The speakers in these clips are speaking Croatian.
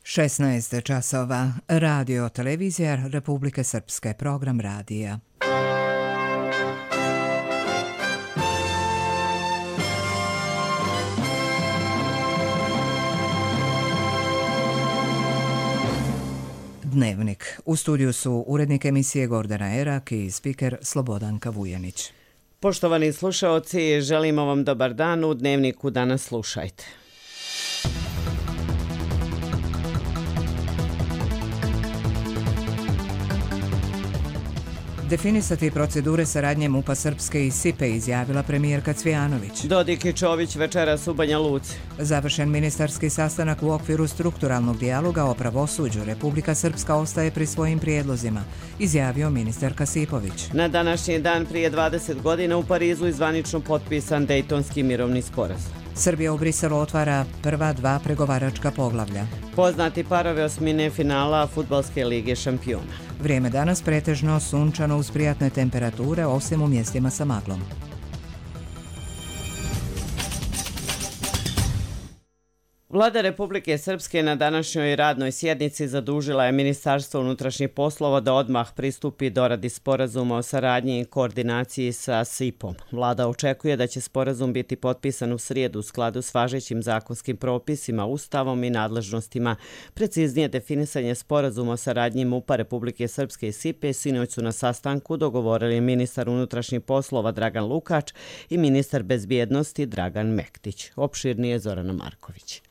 16 časova. Radio televizija Republike Srpske, program radija. Dnevnik. U studiju su urednik emisije Gordana Erak i spiker Slobodanka Vujanić. Poštovani slušaoci, želimo vam dobar dan. U Dnevniku danas slušajte. Definisati procedure saradnje MUP-a Srpske i SIPE, izjavila premijerka Cvijanović. Dodik i Čović večeras u Banja Luci. Završen ministarski sastanak u okviru strukturalnog dijaloga o pravosuđu. Republika Srpska ostaje pri svojim prijedlozima, izjavio ministar Kasipović. Na današnji dan prije 20 godina u Parizu zvanično potpisan Dejtonski mirovni sporazum. Srbija u Briselu otvara prva 2 pregovaračka poglavlja. Poznati parovi osmine finala Fudbalske lige šampiona. Vrijeme danas pretežno sunčano uz prijatne temperature, osim u mjestima sa maglom. Vlada Republike Srpske na današnjoj radnoj sjednici zadužila je Ministarstvo unutrašnjih poslova da odmah pristupi doradi sporazuma o saradnji i koordinaciji sa SIP-om. Vlada očekuje da će sporazum biti potpisan u srijedu u skladu s važećim zakonskim propisima, ustavom i nadležnostima. Preciznije definisanje sporazuma o saradnji MUP-a Republike Srpske i SIP-e sinoć su na sastanku dogovorili ministar unutrašnjih poslova Dragan Lukač i ministar bezbjednosti Dragan Mektić. Opširnije Zorana Marković.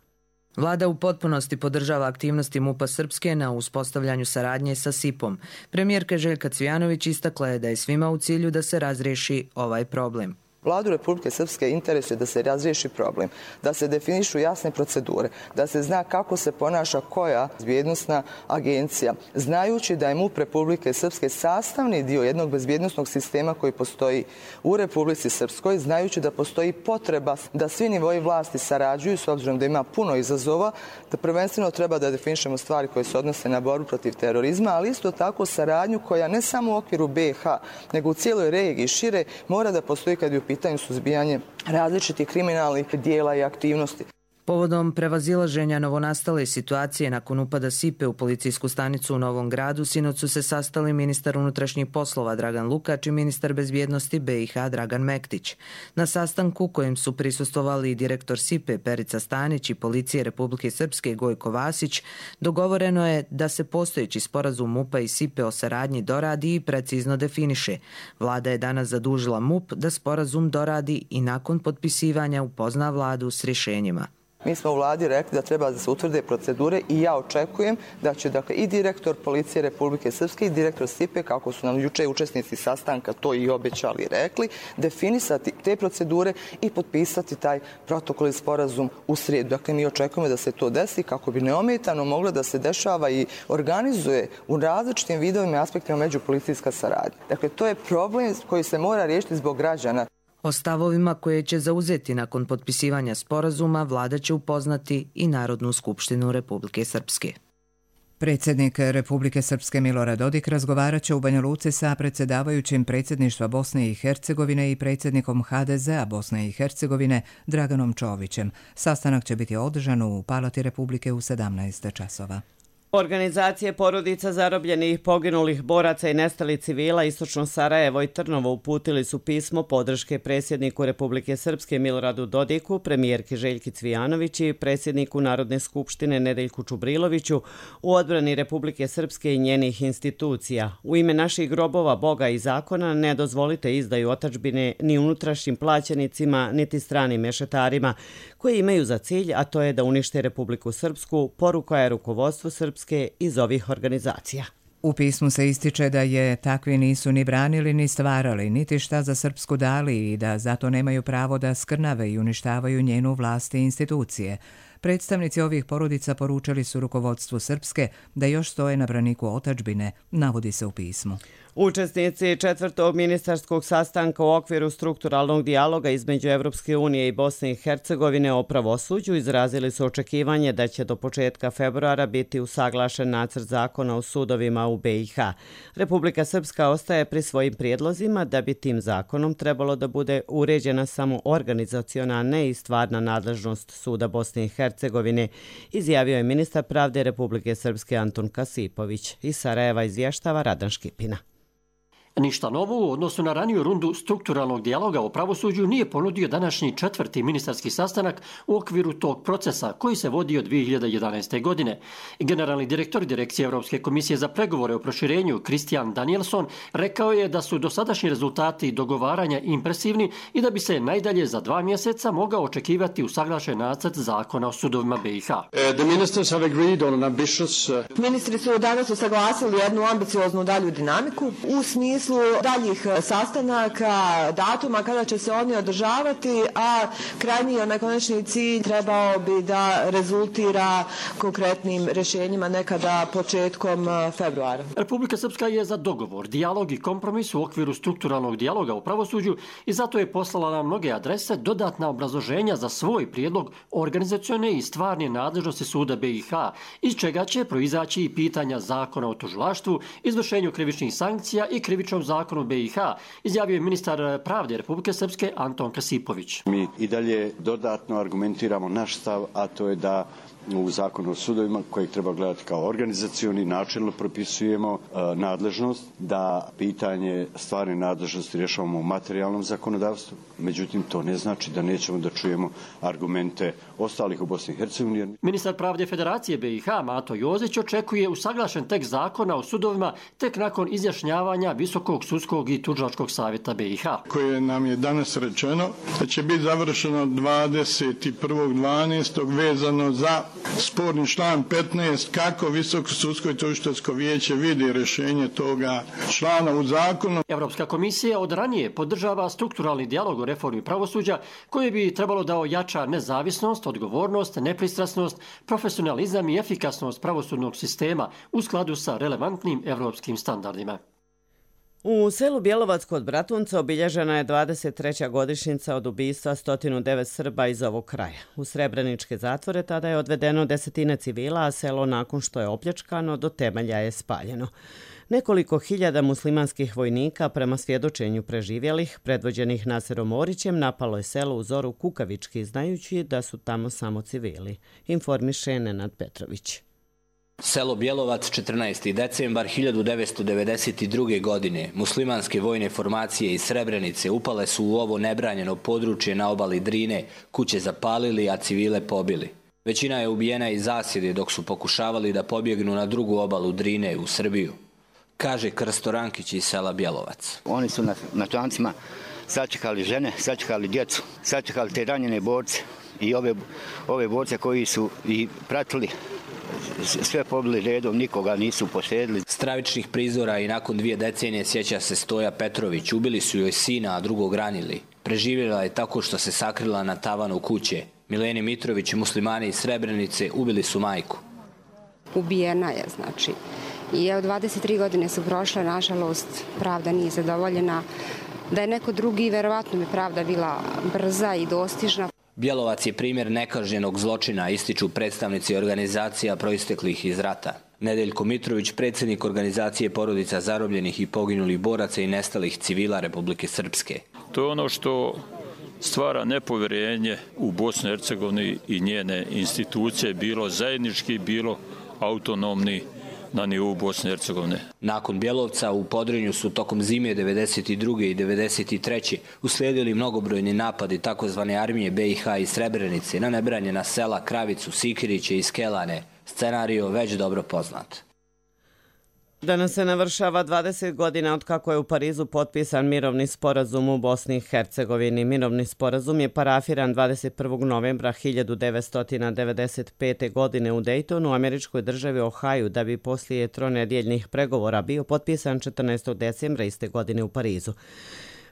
Vlada u potpunosti podržava aktivnosti MUP-a Srpske na uspostavljanju saradnje sa SIP-om. Premijerka Željka Cvijanović istakla je da je svima u cilju da se razriješi ovaj problem. Vladu Republike Srpske interesuje da se razriješi problem, da se definišu jasne procedure, da se zna kako se ponaša koja bezbjednosna agencija, znajući da je MUP Republike Srpske sastavni dio jednog bezbjednosnog sistema koji postoji u Republici Srpskoj, znajući da postoji potreba da svi nivoji vlasti sarađuju s obzirom da ima puno izazova, da prvenstveno treba da definišemo stvari koje se odnose na borbu protiv terorizma, ali isto tako saradnju koja ne samo u okviru BiH, nego u cijeloj regiji šire mora da postoji kad je u pitanju suzbijanje različitih kriminalnih dijela i aktivnosti. Povodom prevazilaženja novonastale situacije nakon upada SIPE u policijsku stanicu u Novom Gradu, sinoć su se sastali ministar unutrašnjih poslova Dragan Lukač i ministar bezbjednosti BiH Dragan Mektić. Na sastanku kojem su prisustvovali i direktor SIPE Perica Stanić i policije Republike Srpske Gojko Vasić, dogovoreno je da se postojeći sporazum MUP-a i SIPE o saradnji doradi i precizno definiše. Vlada je danas zadužila MUP da sporazum doradi i nakon potpisivanja upozna vladu s rješenjima. Mi smo u vladi rekli da treba da se utvrde procedure i ja očekujem da će i direktor policije Republike Srpske i direktor SIPE, kako su nam juče učesnici sastanka to i obećali i rekli, definisati te procedure i potpisati taj protokol i sporazum u srijedu. Dakle, mi očekujemo da se to desi kako bi neometano moglo da se dešava i organizuje u različitim vidovima i aspektima međupolicijska saradnja. Dakle, to je problem koji se mora riješiti zbog građana. O stavovima koje će zauzeti nakon potpisivanja sporazuma vlada će upoznati i Narodnu skupštinu Republike Srpske. Predsjednik Republike Srpske Milorad Dodik razgovarat će u Banja Luci sa predsjedavajućim predsjedništva Bosne i Hercegovine i predsjednikom HDZ-a Bosne i Hercegovine Draganom Čovićem. Sastanak će biti održan u Palati Republike u 17 časova. Organizacije porodica zarobljenih, poginulih boraca i nestalih civila Istočno Sarajevo i Trnovo uputili su pismo podrške predsjedniku Republike Srpske Miloradu Dodiku, premijerki Željki Cvijanović i predsjedniku Narodne skupštine Nedeljku Čubriloviću u odbrani Republike Srpske i njenih institucija. U ime naših grobova, Boga i zakona ne dozvolite izdaju otadžbine ni unutrašnjim plaćenicima, niti stranim mešetarima koji imaju za cilj, a to je da unište Republiku Srpsku, poruka je rukovodstvu Srpske iz ovih organizacija. U pismu se ističe da je takvi nisu ni branili ni stvarali, niti šta za Srpsku dali i da zato nemaju pravo da skrnave i uništavaju njenu vlast i institucije. Predstavnici ovih porodica poručili su rukovodstvu Srpske da još stoje na braniku otadžbine, navodi se u pismu. Učesnici četvrtog ministarskog sastanka u okviru strukturalnog dijaloga između Evropske unije i Bosne i Hercegovine o pravosuđu izrazili su očekivanje da će do početka februara biti usaglašen nacrt zakona o sudovima u BiH. Republika Srpska ostaje pri svojim prijedlozima da bi tim zakonom trebalo da bude uređena samo organizaciona, ne i stvarna nadležnost suda Bosne i Hercegovine Hercegovine, izjavio je ministar pravde Republike Srpske Anton Kasipović. Iz Sarajeva izvještava Radan Škipina. Ništa novo u odnosu na raniju rundu strukturalnog dijaloga o pravosuđu nije ponudio današnji 4. ministarski sastanak u okviru tog procesa koji se vodio 2011. godine. Generalni direktor Direkcije Europske komisije za pregovore o proširenju Christian Danielson rekao je da su dosadašnji rezultati dogovaranja impresivni i da bi se najdalje za 2 mjeseca mogao očekivati usaglašen nacrt zakona o sudovima BiH. Ministri su danas usaglasili jednu ambicioznu dalju dinamiku u smislu daljih sastanaka, datuma kada će se oni održavati, a krajnji onaj konačni cilj trebao bi da rezultira konkretnim rješenjima nekada početkom februara. Republika Srpska je za dogovor, dijalog i kompromis u okviru strukturalnog dijaloga u pravosuđu i zato je poslala na mnoge adrese dodatna obrazloženja za svoj prijedlog organizacione i stvarne nadležnosti suda BiH, iz čega će proizaći i pitanja zakona o tužilaštvu, izvršenju krivičnih sankcija i krivičnom zakonu BiH, izjavio je ministar pravde Republike Srpske Anton Kasipović. Mi i dalje dodatno argumentiramo naš stav, a to je da u zakonu o sudovima, kojeg treba gledati kao organizacioni, načelno propisujemo nadležnost, da pitanje stvarne nadležnosti rješavamo u materijalnom zakonodavstvu. Međutim, to ne znači da nećemo da čujemo argumente ostalih u Bosni i Hercegovini. Ministar pravde Federacije BiH Mato Jozić očekuje usaglašen tekst zakona o sudovima tek nakon izjašnjavanja Visokog sudskog i tužilačkog savjeta BiH. Koje nam je danas rečeno da će biti završeno 21.12. vezano za sporni član 15, kako Visoko sudsko i tužiteljsko vijeće vidi rješenje toga člana u zakonu. Europska komisija od ranije podržava strukturalni dijalog o reformi pravosuđa koji bi trebalo da ojača nezavisnost, odgovornost, nepristrasnost, profesionalizam i efikasnost pravosudnog sistema u skladu sa relevantnim evropskim standardima. U selu Bjelovac kod Bratunca obilježena je 23. godišnjica od ubistva 109 Srba iz ovog kraja. U srebreničke zatvore tada je odvedeno 10 civila, a selo nakon što je opljačkano do temelja je spaljeno. Nekoliko hiljada muslimanskih vojnika, prema svjedočenju preživjelih, predvođenih Naserom Orićem, napalo je selo u zoru kukavički, znajući da su tamo samo civili, informiše Nenad Petrović. Selo Bjelovac, 14. decembar 1992. godine. Muslimanske vojne formacije iz Srebrenice upale su u ovo nebranjeno područje na obali Drine, kuće zapalili, a civile pobili. Većina je ubijena iz zasjede dok su pokušavali da pobjegnu na drugu obalu Drine u Srbiju, kaže Krsto Rankić iz sela Bjelovac. Oni su na člancima sačekali žene, sačekali djecu, sačekali te ranjene borce i ove borce koji su i pratili. Sve pobili redom, nikoga nisu poštedili. Stravičnih prizora i nakon 2 decenije sjeća se Stoja Petrović. Ubili su joj sina, a drugog ranili. Preživjela je tako što se sakrila na tavanu kuće. Mileni Mitrović i muslimani iz Srebrenice ubili su majku. Ubijena je, znači. I evo 23 godine su prošle, nažalost, pravda nije zadovoljena. Da je neko drugi, verovatno bi pravda bila brza i dostižna. Bjelovac je primjer nekažnjenog zločina, ističu predstavnici organizacija proisteklih iz rata. Nedeljko Mitrović, predsjednik organizacije porodica zarobljenih i poginulih boraca i nestalih civila Republike Srpske. To je ono što stvara nepovjerenje u Bosni i Hercegovini i njene institucije, bilo zajednički, bilo autonomni na nivou Bosne i Hercegovine. Nakon Bjelovca u Podrinju su tokom zime 92. i 93. uslijedili mnogobrojni napadi takozvane armije BiH i Srebrenice na nebranjena sela Kravicu, Sikiriće i Skelane. Scenario već dobro poznat. Danas se navršava 20 godina od kako je u Parizu potpisan mirovni sporazum u Bosni i Hercegovini. Mirovni sporazum je parafiran 21. novembra 1995. godine u Daytonu, u američkoj državi Ohio, da bi poslije tronedjeljnih pregovora bio potpisan 14. decembra iste godine u Parizu.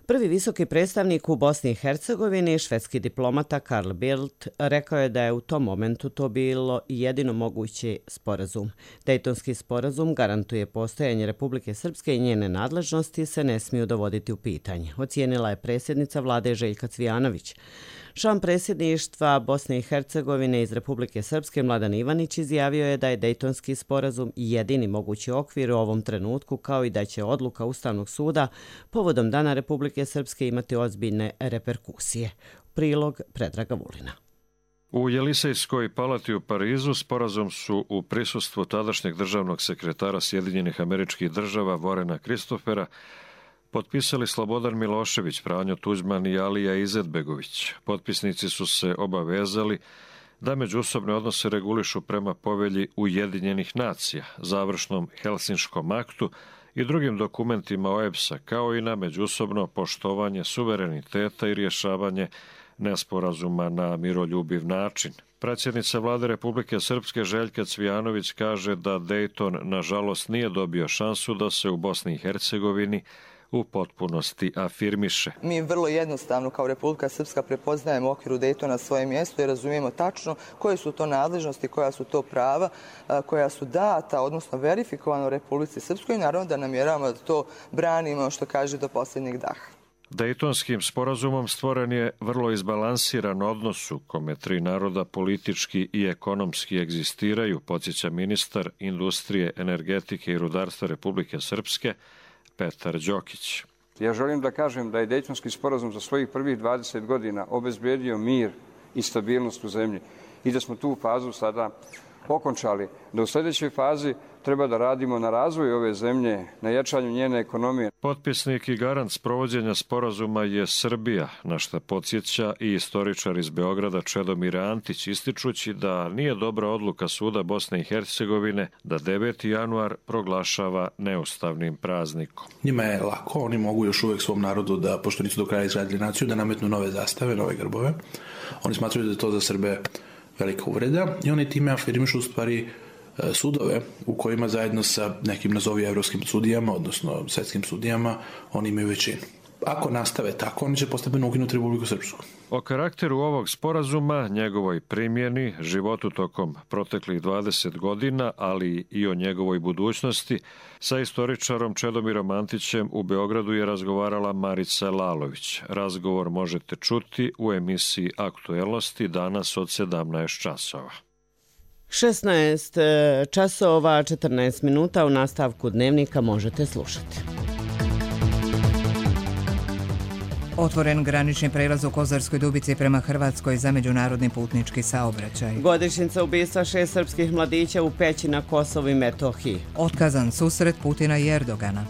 Prvi visoki predstavnik u Bosni i Hercegovini, švedski diplomata Carl Bildt, rekao je da je u tom momentu to bilo jedino mogući sporazum. Dejtonski sporazum garantuje postojanje Republike Srpske i njene nadležnosti se ne smiju dovoditi u pitanje, ocijenila je predsjednica vlade Željka Cvijanović. Član predsjedništva Bosne i Hercegovine iz Republike Srpske Mladen Ivanić izjavio je da je Dejtonski sporazum jedini mogući okvir u ovom trenutku, kao i da će odluka Ustavnog suda povodom Dana Republike Srpske imati ozbiljne reperkusije. Prilog Predraga Vulina. U Jelisejskoj palati u Parizu sporazum su u prisustvu tadašnjeg državnog sekretara Sjedinjenih Američkih Država Vorena Kristofera potpisali Slobodan Milošević, Franjo Tuđman i Alija Izetbegović. Potpisnici su se obavezali da međusobne odnose regulišu prema povelji Ujedinjenih nacija, završnom Helsinškom aktu i drugim dokumentima OEBS-a, kao i na međusobno poštovanje suvereniteta i rješavanje nesporazuma na miroljubiv način. Predsjednica Vlade Republike Srpske Željka Cvijanović kaže da Dejton nažalost nije dobio šansu da se u Bosni i Hercegovini u potpunosti afirmiše. Mi vrlo jednostavno kao Republika Srpska prepoznajemo u okviru Dejtona svoje mjesto i razumijemo tačno koje su to nadležnosti, koja su to prava, koja su data, odnosno verifikovano u Republici Srpskoj i naravno da namjeravamo da to branimo, što kaže, do posljednjeg daha. Dejtonskim sporazumom stvoren je vrlo izbalansiran odnos u kome tri naroda politički i ekonomski egzistiraju, podsjeća ministar industrije, energetike i rudarstva Republike Srpske Petar Đokić. Ja želim da kažem da je Dejtonski sporazum za svojih prvih 20 godina obezbedio mir i stabilnost u zemlji i da smo tu fazu sada okončali. Da u sljedećoj fazi treba da radimo na razvoju ove zemlje, na jačanju njene ekonomije. Potpisnik i garant sprovođenja sporazuma je Srbija, na što podsjeća i istoričar iz Beograda Čedomir Antić, ističući da nije dobra odluka Suda Bosne i Hercegovine da 9. januar proglašava neustavnim praznikom. Njima je lako, oni mogu još uvijek svom narodu, da, pošto nisu do kraja izradili naciju, da nametnu nove zastave, nove grbove. Oni smatraju da je to za Srbe velika uvreda i oni time afirmišu u stvari sudove u kojima zajedno sa nekim nazovi evropskim sudijama, odnosno svjetskim sudijama, oni imaju većinu. Ako nastave tako, oni će postepeno ukinuti Republiku Srpsku. O karakteru ovog sporazuma, njegovoj primjeni, životu tokom proteklih 20 godina, ali i o njegovoj budućnosti, sa istoričarom Čedomirom Antićem u Beogradu je razgovarala Marica Lalović. Razgovor možete čuti u emisiji Aktuelnosti danas od 17 časova. 16 časova 14 minuta u nastavku dnevnika možete slušati. Otvoren granični prelaz u Kozarskoj Dubici prema Hrvatskoj za međunarodni putnički saobraćaj. Godišnjica ubistva 6 srpskih mladića u Peći na Kosovu i Metohiji. Otkazan susret Putina i Erdogana.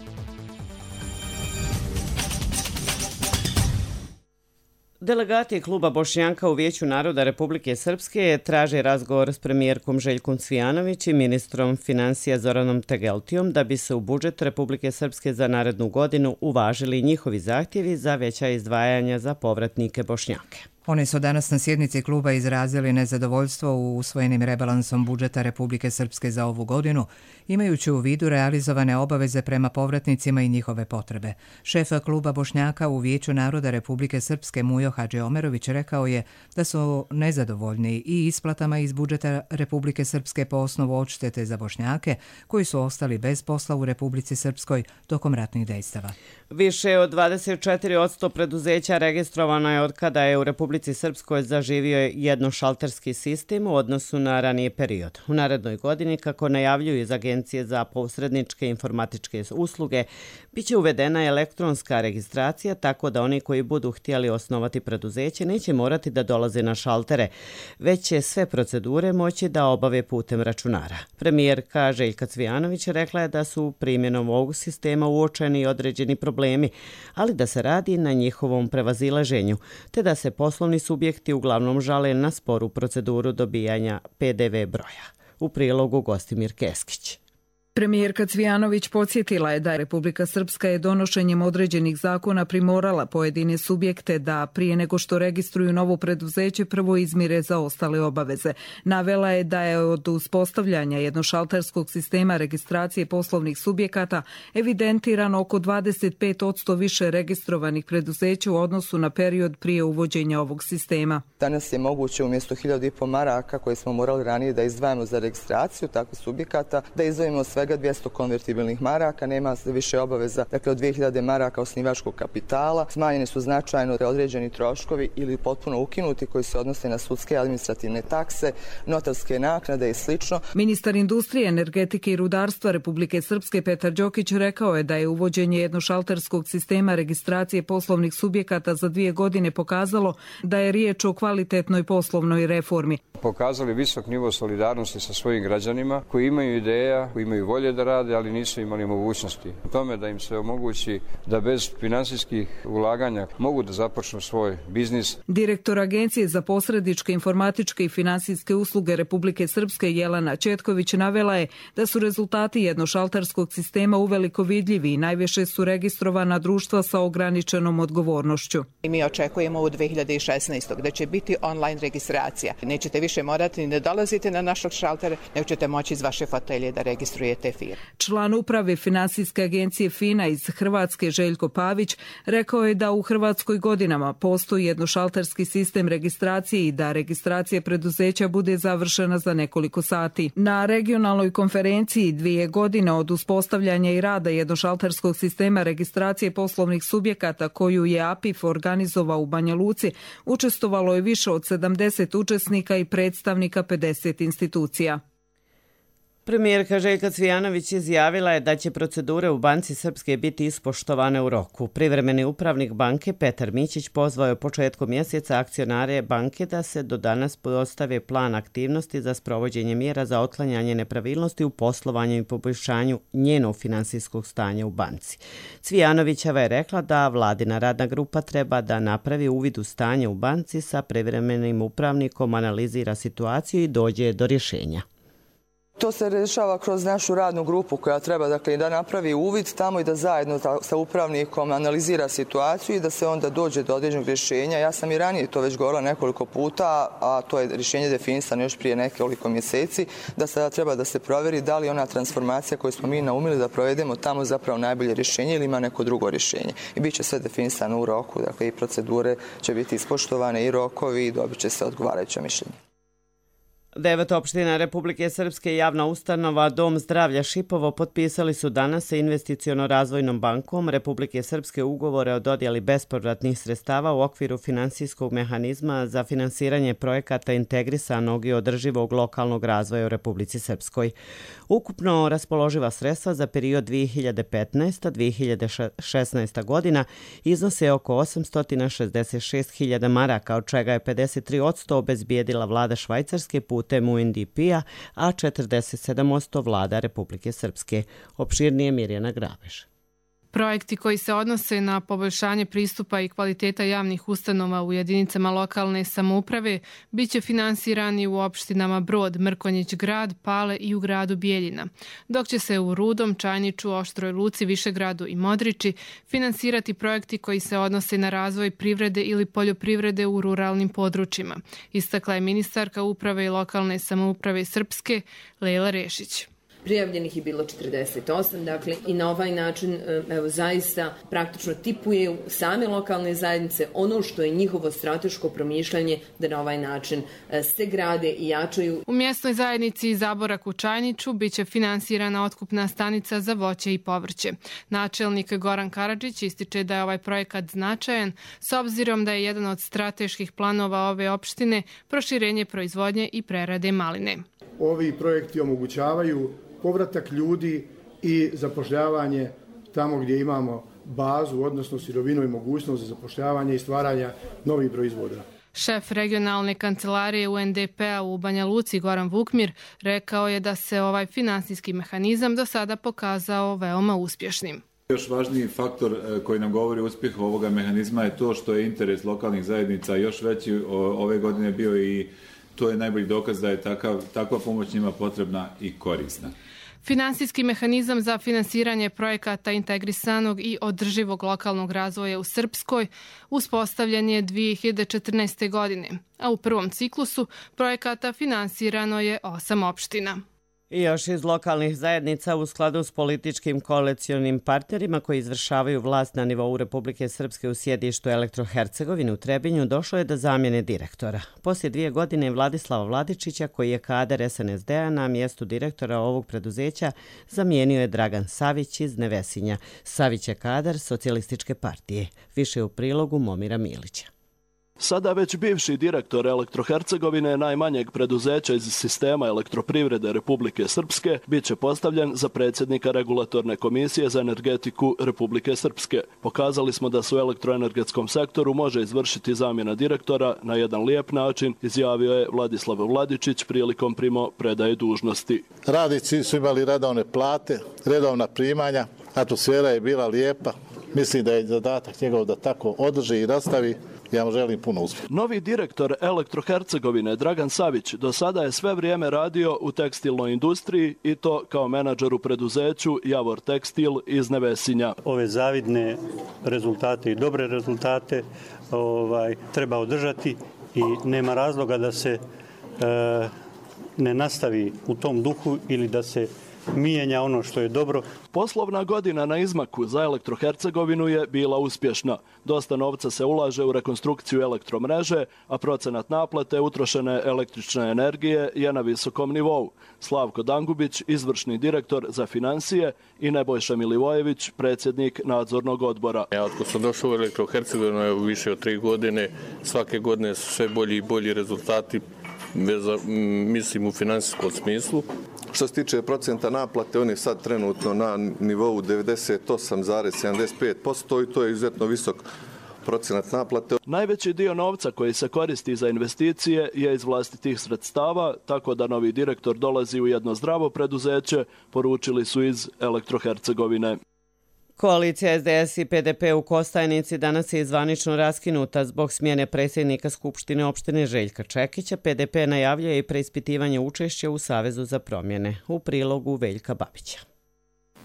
Delegati kluba Bošnjaka u Vijeću naroda Republike Srpske traže razgovor s premijerkom Željkom Cvijanović i ministrom financija Zoranom Tegeltijom da bi se u budžet Republike Srpske za narednu godinu uvažili njihovi zahtjevi za veća izdvajanja za povratnike Bošnjake. Oni su danas na sjednici kluba izrazili nezadovoljstvo u usvojenim rebalansom budžeta Republike Srpske za ovu godinu, imajući u vidu realizovane obaveze prema povratnicima i njihove potrebe. Šef kluba Bošnjaka u Vijeću naroda Republike Srpske Mujo Hadžiomerović rekao je da su nezadovoljni i isplatama iz budžeta Republike Srpske po osnovu odštete za Bošnjake koji su ostali bez posla u Republici Srpskoj tokom ratnih dejstava. Više od 24% preduzeća registrovano je od kada je u Republici Srpskoj zaživio jednošalterski sistem u odnosu na raniji period. U narednoj godini, kako najavljuju iz Agencije za posredničke informatičke usluge, biće uvedena elektronska registracija tako da oni koji budu htjeli osnovati preduzeće neće morati da dolaze na šaltere, već će sve procedure moći da obave putem računara. Premijerka Željka Cvijanović rekla je da su primjenom ovog sistema uočeni određeni problemi, ali da se radi na njihovom prevazilaženju, te da se poslovni subjekti uglavnom žale na sporu proceduru dobijanja PDV broja. U prilogu Gostimir Keskić. Premijerka Cvijanović podsjetila je da Republika Srpska je donošenjem određenih zakona primorala pojedine subjekte da prije nego što registruju novo preduzeće prvo izmire zaostale obaveze. Navela je da je od uspostavljanja jednošalterskog sistema registracije poslovnih subjekata evidentirano oko 25% više registrovanih preduzeća u odnosu na period prije uvođenja ovog sistema. Danas je moguće umjesto 1.500 maraka koje smo morali ranije da izdvajamo za registraciju takvih subjekata, da izdvojimo sve svega 200 konvertibilnih maraka, nema više obaveza, dakle od 2000 maraka osnivačkog kapitala, smanjeni su značajno određeni troškovi ili potpuno ukinuti koji se odnose na sudske administrativne takse, notarske naknade i slično. Ministar industrije, energetike i rudarstva Republike Srpske Petar Đokić rekao je da je uvođenje jednošalterskog sistema registracije poslovnih subjekata za 2 godine pokazalo da je riječ o kvalitetnoj poslovnoj reformi. Pokazali visok nivo solidarnosti sa svojim građanima koji imaju ideja, koji imaju volje da rade, ali nisu imali mogućnosti. U tome da im se omogući da bez finansijskih ulaganja mogu da započnu svoj biznis. Direktor Agencije za posredničke, informatičke i finansijske usluge Republike Srpske Jelena Četković navela je da su rezultati jednošalterskog sistema uveliko vidljivi i najviše su registrovana društva sa ograničenom odgovornošću. Mi očekujemo u 2016. da će biti online registracija. Nećete više morati ni da dolazite na našog šaltera, nego ćete moći iz vaše fotelje da registrujete firmu. Član uprave finansijske agencije FINA iz Hrvatske Željko Pavić rekao je da u Hrvatskoj godinama postoji jednošalterski sistem registracije i da registracija preduzeća bude završena za nekoliko sati. Na regionalnoj konferenciji 2 godine od uspostavljanja i rada jednošalterskog sistema registracije poslovnih subjekata koju je APIF organizovao u Banja Luci, učestvovalo je više od 70 učesnika i predstavnika 50 institucija. Premijerka Željka Cvijanović izjavila je da će procedure u Banci Srpske biti ispoštovane u roku. Privremeni upravnik banke Petar Mićić pozvao je početkom mjeseca akcionare banke da se do danas postave plan aktivnosti za sprovođenje mjera za otklanjanje nepravilnosti u poslovanju i poboljšanju njenog finansijskog stanja u banci. Cvijanovićeva je rekla da vladina radna grupa treba da napravi uvid u stanje u banci sa privremenim upravnikom, analizira situaciju i dođe do rješenja. To se rešava kroz našu radnu grupu koja treba da napravi uvid tamo i da zajedno sa upravnikom analizira situaciju i da se onda dođe do određenog rješenja. Ja sam i ranije to već govorila nekoliko puta, a to je rješenje definisano još prije nekoliko mjeseci, da sada treba da se provjeri da li ona transformacija koju smo mi naumili da provedemo tamo zapravo najbolje rješenje ili ima neko drugo rješenje. I bit će sve definisano u roku, dakle i procedure će biti ispoštovane i rokovi i dobit će se odgovarajuće mišljenje. 9 opština Republike Srpske i javna ustanova Dom zdravlja Šipovo potpisali su danas sa Investiciono-razvojnom bankom Republike Srpske ugovore o dodjeli bespovratnih sredstava u okviru finansijskog mehanizma za finansiranje projekata integrisanog i održivog lokalnog razvoja u Republici Srpskoj. Ukupno raspoloživa sredstva za period 2015-2016 godina iznose oko 866.000 maraka, od čega je 53% obezbijedila vlada Švajcarske putem UNDP-a, a 47% vlada Republike Srpske. Opširnije Mirjana Grabež. Projekti koji se odnose na poboljšanje pristupa i kvaliteta javnih ustanova u jedinicama lokalne samouprave biće finansirani u opštinama Brod, Mrkonjić grad, Pale i u gradu Bijeljina, dok će se u Rudom, Čajniču, Oštroj Luci, Višegradu i Modriči finansirati projekti koji se odnose na razvoj privrede ili poljoprivrede u ruralnim područjima, istakla je ministarka uprave i lokalne samouprave Srpske Lejla Rešić. Prijavljenih je bilo 48, dakle i na ovaj način zaista praktično tipuje same lokalne zajednice ono što je njihovo strateško promišljanje da na ovaj način se grade i jačaju. U mjesnoj zajednici Zaborak u Čajniču biće finansirana otkupna stanica za voće i povrće. Načelnik Goran Karadžić ističe da je ovaj projekat značajan s obzirom da je jedan od strateških planova ove opštine proširenje proizvodnje i prerade maline. Ovi projekti omogućavaju povratak ljudi i zapošljavanje tamo gdje imamo bazu, odnosno sirovinu i mogućnost za zapošljavanje i stvaranja novih proizvoda. Šef regionalne kancelarije UNDP-a u Banja Luci Goran Vukmir rekao je da se ovaj finansijski mehanizam do sada pokazao veoma uspješnim. Još važniji faktor koji nam govori o uspjehu ovoga mehanizma je to što je interes lokalnih zajednica još veći ove godine bio i to je najbolji dokaz da je takva pomoć njima potrebna i korisna. Finansijski mehanizam za finansiranje projekata integrisanog i održivog lokalnog razvoja u Srpskoj uspostavljen je 2014. godine, a u prvom ciklusu projekata finansirano je 8 opština. I još iz lokalnih zajednica u skladu s političkim koalicionim partnerima koji izvršavaju vlast na nivou Republike Srpske u sjedištu Elektrohercegovine u Trebinju došlo je do zamjene direktora. Poslije 2 godine Vladislava Vladičića, koji je kadar SNSD-a, na mjestu direktora ovog preduzeća zamijenio je Dragan Savić iz Nevesinja. Savić je kadar Socijalističke partije. Više u prilogu Momira Milića. Sada već bivši direktor Elektrohercegovine, najmanjeg preduzeća iz sistema elektroprivrede Republike Srpske, bit će postavljen za predsjednika Regulatorne komisije za energetiku Republike Srpske. Pokazali smo da se u elektroenergetskom sektoru može izvršiti zamjena direktora na jedan lijep način, izjavio je Vladislav Vladičić prilikom primopredaje dužnosti. Radnici su imali redovne plate, redovna primanja, atmosfera je bila lijepa. Mislim da je zadatak njegov da tako održi i nastavi. Ja vam želim puno uspjeha. Novi direktor Elektrohercegovine Dragan Savić do sada je sve vrijeme radio u tekstilnoj industriji i to kao menadžer u preduzeću Javor Tekstil iz Nevesinja. Ove zavidne rezultate i dobre rezultate treba održati i nema razloga da se ne nastavi u tom duhu ili da se mijenja ono što je dobro. Poslovna godina na izmaku za Elektrohercegovinu je bila uspješna. Dosta novca se ulaže u rekonstrukciju elektromreže, a procenat naplate utrošene električne energije je na visokom nivou. Slavko Dangubić, izvršni direktor za financije, i Nebojša Milivojević, predsjednik nadzornog odbora. Ja od sam došao u Elektrohercegovinu više od 3 godine, svake godine su sve bolji i bolji rezultati, mislim u financijskom smislu. Što se tiče procenta naplate, on je sad trenutno na nivou 98,75% i to je izuzetno visok procenat naplate. Najveći dio novca koji se koristi za investicije je iz vlastitih sredstava, tako da novi direktor dolazi u jedno zdravo preduzeće, poručili su iz Elektrohercegovine. Koalicija SDS i PDP u Kostajnici danas je zvanično raskinuta zbog smjene predsjednika Skupštine opštine Željka Čekića. PDP najavljuje i preispitivanje učešća u Savezu za promjene. U prilogu Veljka Babića.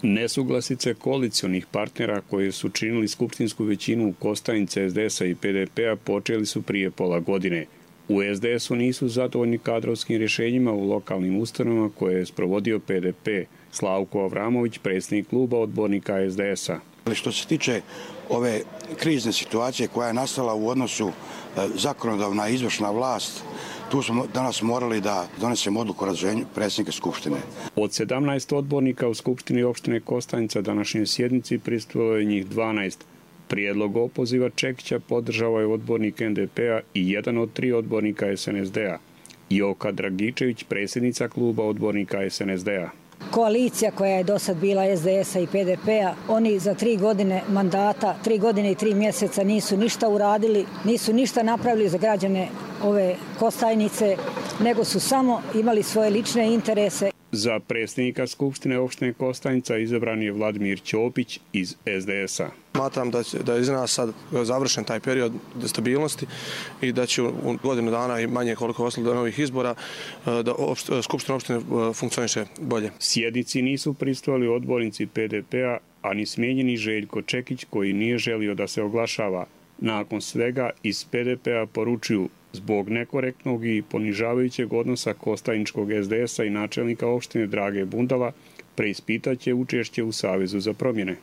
Nesuglasice koalicionih partnera koji su činili skupštinsku većinu u Kostajnice SDS-a i PDP-a počeli su prije pola godine. U SDS-u nisu zadovoljni kadrovskim rješenjima u lokalnim ustanovama koje je sprovodio PDP. Slavko Avramović, predsjednik kluba odbornika SDS-a. Što se tiče ove krizne situacije koja je nastala u odnosu zakonodavna i izvršna vlast, tu smo danas morali da donesemo odluku o razrješenju predsjednika Skupštine. Od 17 odbornika u Skupštini opštine Kostajnica današnjoj sjednici prisustvovalo je njih 12. Prijedlog opoziva Čekića podržao je odbornik NDP-a i jedan od 3 odbornika SNSD-a. Joka Dragičević, predsjednica kluba odbornika SNSD-a. Koalicija koja je do sad bila SDS-a i PDP-a, oni za 3 godine mandata, 3 godine i 3 mjeseca nisu ništa uradili, nisu ništa napravili za građane ove Kostajnice, nego su samo imali svoje lične interese. Za predsjednika Skupštine opštine Kostajnica izabran je Vladimir Ćopić iz SDS-a. Smatram da je iz nas sad završen taj period stabilnosti i da će u godinu dana i manje koliko ostalo do novih izbora da Skupština opštine funkcioniše bolje. Sjednici nisu prisustvovali odbornici PDP-a, a ni smijenjeni Željko Čekić koji nije želio da se oglašava. Nakon svega iz PDP-a poručuju: zbog nekorektnog i ponižavajućeg odnosa Kostajničkog SDS-a i načelnika opštine Drage Bundala preispitaće učešće u Savezu za promjene.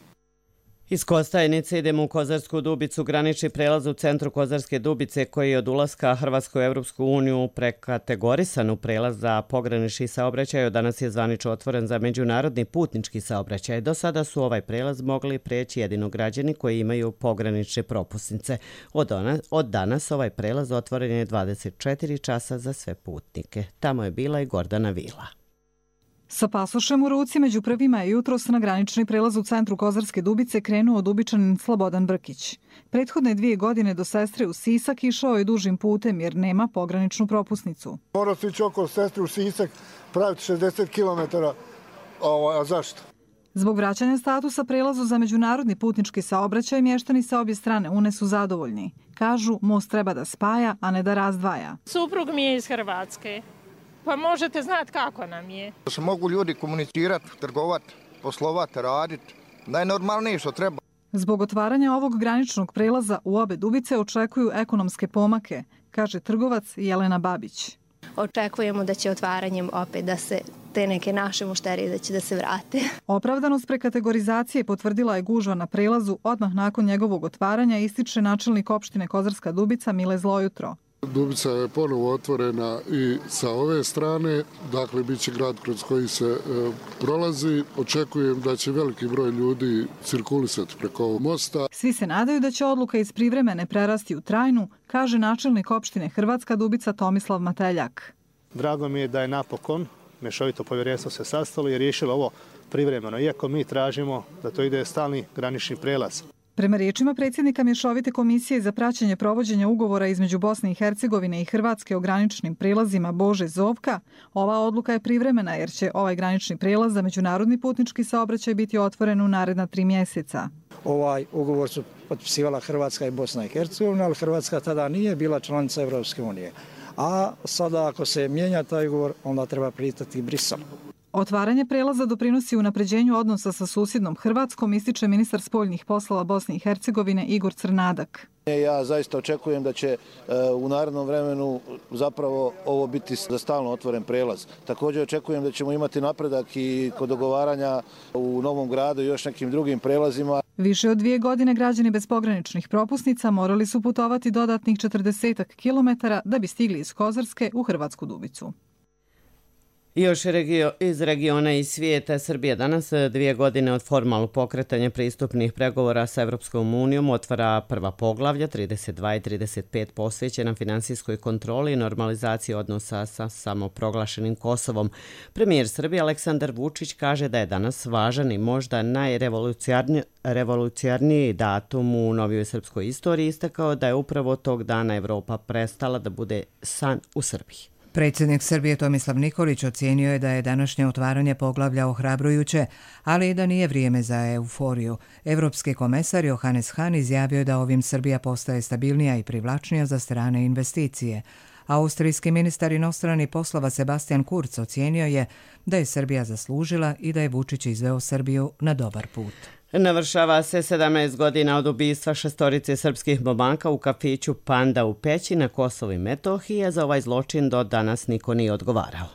Iz Kostajnice idemo u Kozarsku Dubicu. Granični prelaz u centru Kozarske Dubice, koji je od ulaska Hrvatske u Europsku uniju prekategorisan u prelaz za pogranični saobraćaj, danas je zvanično otvoren za međunarodni putnički saobraćaj. Do sada su ovaj prelaz mogli preći jedino građani koji imaju pogranične propusnice. Od danas ovaj prelaz otvoren je 24 časa za sve putnike. Tamo je bila i Gordana Vila. Sa pasošem u ruci među prvima je jutros na granični prelaz u centru Kozarske Dubice krenuo Dubičanin Slobodan Brkić. Prethodne 2 godine do sestre u Sisak išao je dužim putem jer nema pograničnu propusnicu. Morao se ići oko sestre u Sisak, praviti 60 km, a zašto? Zbog vraćanja statusa prelazu za međunarodni putnički saobraćaj, mještani sa obje strane Une su zadovoljni. Kažu, most treba da spaja, a ne da razdvaja. Suprug mi je iz Hrvatske. Pa možete znati kako nam je. Da se mogu ljudi komunicirati, trgovati, poslovati, raditi. Najnormalnije što treba. Zbog otvaranja ovog graničnog prelaza u obe Dubice očekuju ekonomske pomake, kaže trgovac Jelena Babić. Očekujemo da će otvaranjem opet da se te neke naše mušterije da će da se vrate. Opravdanost prekategorizacije potvrdila je gužva na prelazu odmah nakon njegovog otvaranja, ističe načelnik opštine Kozarska Dubica Mile Zlojutro. Dubica je ponovo otvorena i sa ove strane, dakle bit će grad kroz koji se prolazi. Očekujem da će veliki broj ljudi cirkulisati preko ovog mosta. Svi se nadaju da će odluka iz privremene prerasti u trajnu, kaže načelnik opštine Hrvatska Dubica Tomislav Mateljak. Drago mi je da je napokon mješovito povjerenstvo se sastalo i riješilo ovo privremeno, iako mi tražimo da to ide stalni granični prelaz. Prema riječima predsjednika Mješovite komisije za praćenje provođenja ugovora između Bosne i Hercegovine i Hrvatske o graničnim prijelazima Bože Zovka, ova odluka je privremena jer će ovaj granični prijelaz za međunarodni putnički saobraćaj biti otvoren u naredna 3 mjeseca. Ovaj ugovor su potpisivala Hrvatska i Bosna i Hercegovina, ali Hrvatska tada nije bila članica Evropske unije. A sada ako se mijenja taj ugovor, onda treba pritati Brisel. Otvaranje prelaza doprinosi unapređenju odnosa sa susjednom Hrvatskom, ističe ministar spoljnih poslova Bosne i Hercegovine Igor Crnadak. Ja zaista očekujem da će u narednom vremenu zapravo ovo biti za stalno otvoren prelaz. Također očekujem da ćemo imati napredak i kod dogovaranja u Novom Gradu i još nekim drugim prelazima. Više od 2 godine građani bez pograničnih propusnica morali su putovati dodatnih 40 kilometara da bi stigli iz Kozarske u Hrvatsku Dubicu. Još iz regiona i svijeta, Srbija danas 2 godine od formalnog pokretanja pristupnih pregovora sa Evropskom unijom otvara prva poglavlja 32 i 35 posvećena finansijskoj kontroli i normalizaciji odnosa sa samoproglašenim Kosovom. Premijer Srbije Aleksandar Vučić kaže da je danas važan i možda najrevolucionarniji datum u novijoj srpskoj istoriji, istakao da je upravo tog dana Evropa prestala da bude san u Srbiji. Predsjednik Srbije Tomislav Nikolić ocijenio je da je današnje otvaranje poglavlja ohrabrujuće, ali i da nije vrijeme za euforiju. Evropski komesar Johannes Hahn izjavio je da ovim Srbija postaje stabilnija i privlačnija za strane investicije. Austrijski ministar inostranih poslova Sebastian Kurz ocijenio je da je Srbija zaslužila i da je Vučić izveo Srbiju na dobar put. Navršava se 17 godina od ubistva 6 srpskih momaka u kafiću Panda u Peći na Kosovu i Metohiji, a za ovaj zločin do danas niko nije odgovarao.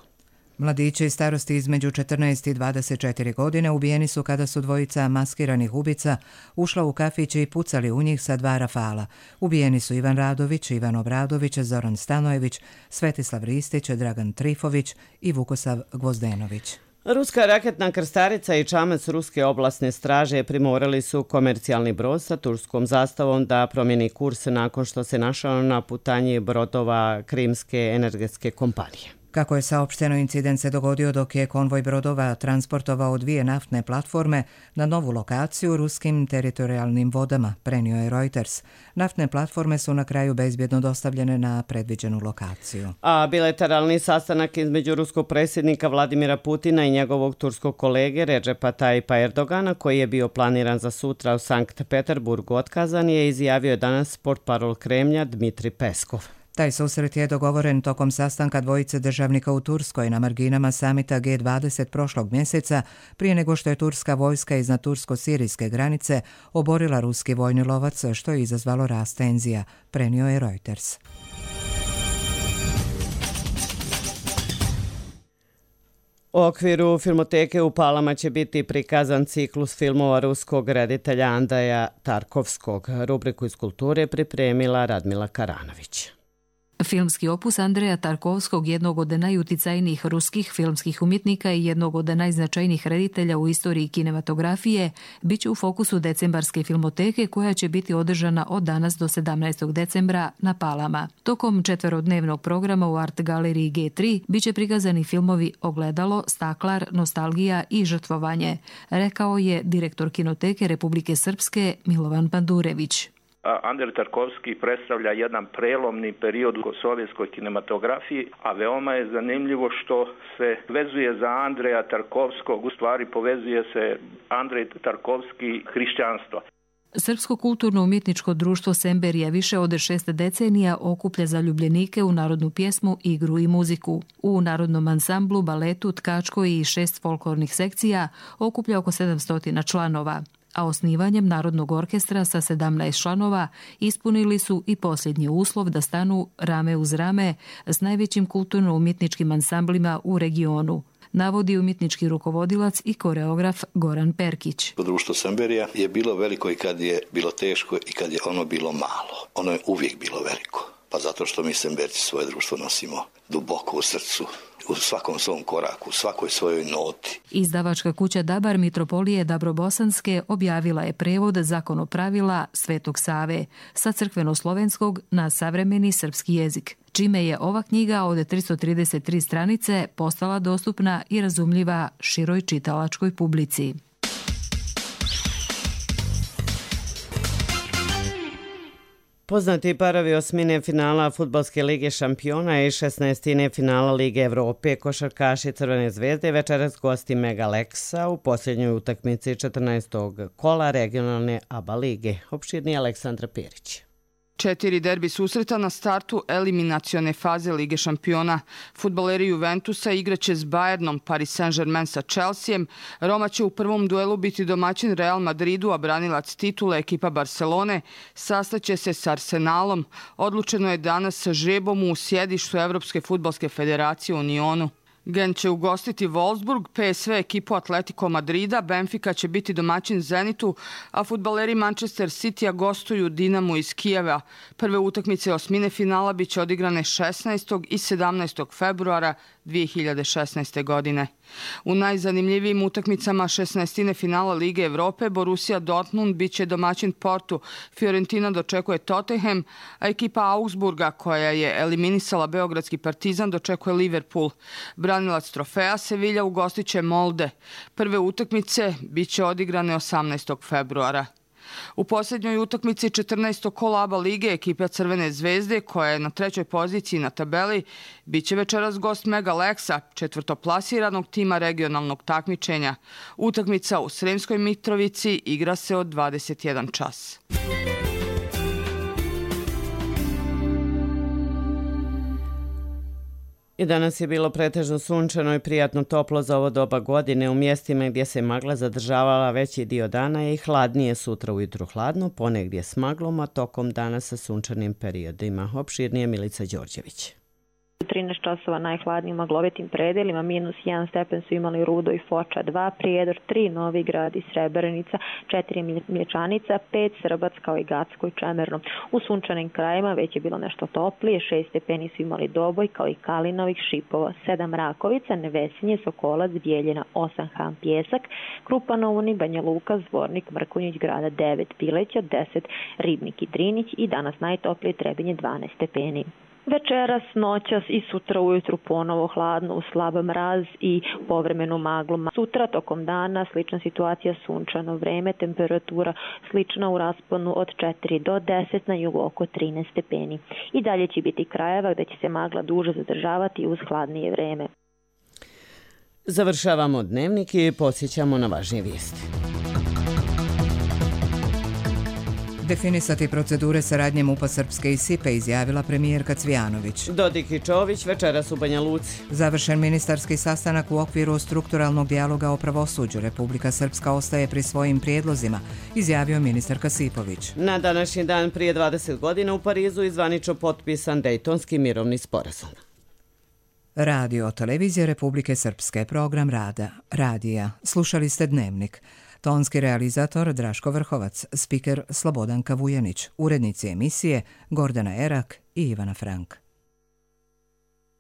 Mladići iz starosti između 14 i 24 godine ubijeni su kada su dvojica maskiranih ubica ušla u kafić i pucali u njih sa 2 rafala. Ubijeni su Ivan Radović, Ivan Obradović, Zoran Stanojević, Svetislav Ristić, Dragan Trifović i Vukosav Gvozdenović. Ruska raketna krstarica i čamac ruske oblastne straže primorali su komercijalni brod sa turskom zastavom da promijeni kurs nakon što se našao na putanji brodova Krimske energetske kompanije. Kako je saopšteno, incident se dogodio dok je konvoj brodova transportovao 2 naftne platforme na novu lokaciju u ruskim teritorijalnim vodama, prenio je Reuters. Naftne platforme su na kraju bezbjedno dostavljene na predviđenu lokaciju. A bilateralni sastanak između ruskog predsjednika Vladimira Putina i njegovog turskog kolege Redžepa Tayyipa Erdogana, koji je bio planiran za sutra u Sankt Peterburgu, otkazan je, izjavio danas portparol Kremlja Dmitri Peskov. Taj susret je dogovoren tokom sastanka dvojice državnika u Turskoj na marginama samita G20 prošlog mjeseca, prije nego što je turska vojska iznad tursko-sirijske granice oborila ruski vojni lovac, što je izazvalo rast tenzija, prenio je Reuters. U okviru filmoteke u Palama će biti prikazan ciklus filmova ruskog reditelja Andreja Tarkovskog. Rubriku iz kulture pripremila Radmila Karanović. Filmski opus Andreja Tarkovskog, jednog od najuticajnijih ruskih filmskih umjetnika i jednog od najznačajnijih reditelja u istoriji kinematografije, bit će u fokusu decembarske filmoteke koja će biti održana od danas do 17. decembra na Palama. Tokom 4-dnevnog programa u Art galeriji G3 bit će prikazani filmovi Ogledalo, Staklar, Nostalgija i Žrtvovanje, rekao je direktor Kinoteke Republike Srpske Milovan Pandurević. Andrej Tarkovski predstavlja jedan prelomni period u sovjetskoj kinematografiji, a veoma je zanimljivo što se vezuje za Andreja Tarkovskog, u stvari povezuje se Andrej Tarkovski hrišćanstvo. Srpsko kulturno-umjetničko društvo Semberija više od 6 decenija okuplja zaljubljenike u narodnu pjesmu, igru i muziku. U narodnom ansamblu, baletu, tkačkoj i 6 folklornih sekcija okuplja oko 700 članova. A osnivanjem Narodnog orkestra sa 17 članova ispunili su i posljednji uslov da stanu rame uz rame s najvećim kulturno-umjetničkim ansamblima u regionu. navodi umjetnički rukovodilac i koreograf Goran Perkić. Društvo Semberija je bilo veliko i kad je bilo teško i kad je ono bilo malo. Ono je uvijek bilo veliko. Pa zato što mi Semberci svoje društvo nosimo duboko u srcu, u svakom svom koraku, u svakoj svojoj noti. Izdavačka kuća Dabar Mitropolije Dabrobosanske objavila je prevod zakonopravila Svetog Save sa crkveno-slovenskog na savremeni srpski jezik, čime je ova knjiga od 333 stranice postala dostupna i razumljiva široj čitalačkoj publici. Poznati parovi osmine finala Fudbalske lige šampiona i 16. finala Lige Evrope košarkaši Crvene zvezde večeras gosti Mega Leksa u posljednjoj utakmici 14. kola regionalne ABA lige. Opširnije Aleksandra Perić. 4 derbi susreta na startu eliminacione faze Lige šampiona. Fudbaleri Juventusa igraće s Bayernom, Paris Saint-Germain sa Chelseaem. Roma će u prvom duelu biti domaćin Real Madridu, a branilac titule ekipa Barcelone sastaće se s Arsenalom. Odlučeno je danas sa žrebom u sjedištu Evropske fudbalske federacije u Nionu. Gent će ugostiti Wolfsburg, PSV ekipu Atletico Madrida, Benfica će biti domaćin Zenitu, a fudbaleri Manchester Citya gostuju Dinamu iz Kijeva. Prve utakmice osmine finala biće odigrane 16. i 17. februara 2016. godine. U najzanimljivijim utakmicama 16. finala Lige Evrope Borussia Dortmund biće domaćin Portu, Fiorentina dočekuje Tottenham, a ekipa Augsburga koja je eliminisala Beogradski Partizan dočekuje Liverpool. Branilac trofeja Sevilla ugostit će Molde. Prve utakmice biće odigrane 18. februara. U posljednjoj utakmici 14. kola ABA lige ekipa Crvene zvezde, koja je na 3. poziciji na tabeli, biće večeras gost Mega Leksa, četvrtoplasiranog tima regionalnog takmičenja. Utakmica u Sremskoj Mitrovici igra se od 21 čas. I danas je bilo pretežno sunčano i prijatno toplo za ovo doba godine. U mjestima gdje se magla zadržavala veći dio dana je i hladnije, sutra ujutru hladno, ponegdje s maglom, a tokom dana sa sunčanim periodima. Opširnije Milica Đorđević. 13 časova najhladnijim maglovitim predelima, -1 stepen su imali Rudo i Foča 2, Prijedor 3, Novi Grad i Srebrenica, 4 Mlječanica, 5 Srbac kao i Gacko i Čemerno. U sunčanim krajima već je bilo nešto toplije, 6 stepeni su imali Doboj kao i Kalinovih, Šipova, 7 Rakovica, Nevesinje, Sokolac, Bijeljina, 8 Han Pjesak, Krupanovuni, Banja Luka, Zvornik, Mrkonjić Grada 9, Pileća 10, Ribnik i Drinić i danas najtoplije Trebinje 12 stepeni. Večeras, noćas i sutra ujutru ponovo hladno uz slab mraz i povremenu maglu. Sutra tokom dana slična situacija, sunčano vreme, temperatura slična u rasponu od 4 do 10, na jugu oko 13 stepeni. I dalje će biti krajeva gdje će se magla duže zadržavati uz hladnije vreme. Završavamo dnevnik i podsjećamo na važnije vijesti. Definisati procedure saradnje MUP-a Srpske i SIPA izjavila premijerka Cvijanović. Dodik i Čović večeras u Banja Luci. Završen ministarski sastanak u okviru strukturalnog dijaloga o pravosuđu. Republika Srpska ostaje pri svojim prijedlozima, izjavio ministar Kasipović. Na današnji dan prije 20 godina u Parizu izvanično potpisan Dejtonski mirovni sporazum. Radio televizija Republike Srpske, program rada, radija. Slušali ste dnevnik. Tonski realizator Draško Vrhovac, spiker Slobodanka Vujanić, urednici emisije Gordana Erak i Ivana Frank.